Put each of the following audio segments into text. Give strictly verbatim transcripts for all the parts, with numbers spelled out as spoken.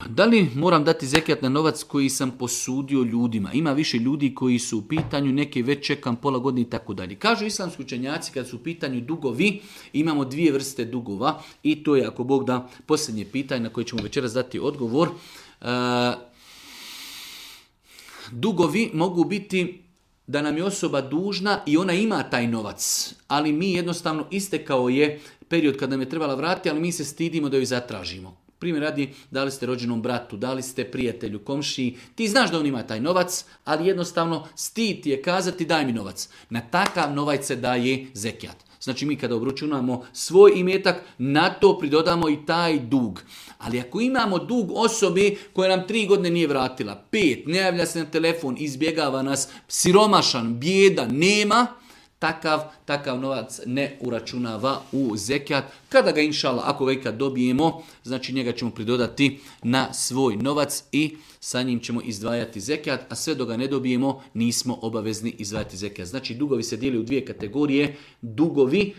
Da li moram dati zekijat na novac koji sam posudio ljudima? Ima više ljudi koji su u pitanju, neki već čekam pola godine i tako dalje. Kažu islamski učenjaci kad su u pitanju dugovi, imamo dvije vrste dugova i to je, ako Bog da, posljednje pitanje na koje ćemo večeras dati odgovor. E, dugovi mogu biti da nam je osoba dužna i ona ima taj novac, ali mi jednostavno istekao je period kad nam je trebala vratiti, ali mi se stidimo da ju zatražimo. Primjer radi, dali ste rođenom bratu, dali ste prijatelju, komšiji, ti znaš da on ima taj novac, ali jednostavno stid ti je kazati daj mi novac. Na takav novac se daje zekijat. Znači mi kada obračunamo svoj imetak, na to pridodamo i taj dug. Ali ako imamo dug osobi koja nam tri godine nije vratila, pet, ne javlja se na telefon, izbjegava nas, siromašan, bijedan, nema, Takav, takav novac ne uračunava u zekijat. Kada ga inšala, ako ga ikad dobijemo, znači njega ćemo pridodati na svoj novac i sa njim ćemo izdvajati zekijat, a sve dok ga ne dobijemo nismo obavezni izdvajati zekijat. Znači dugovi se dijeli u dvije kategorije. Dugovi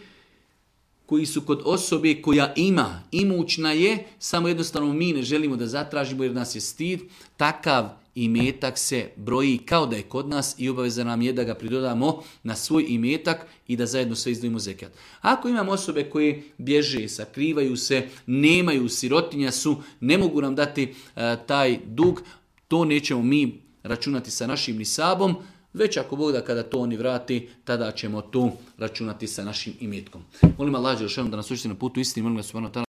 koji su kod osobe koja ima, imućna je, samo jednostavno mi ne želimo da zatražimo jer nas je stid, takav imetak se broji kao da je kod nas i obaveza nam je da ga pridodamo na svoj imetak i da zajedno sve izdvojimo zekijat. Ako imamo osobe koje bježe, sakrivaju se, nemaju, sirotinja su, ne mogu nam dati uh, taj dug, to nećemo mi računati sa našim nisabom, već ako Bog da kada to oni vrati, tada ćemo to računati sa našim imetkom. Molim Allah dželešanu da nas učiti na putu istini, molim ga subhanahu wa ta'ala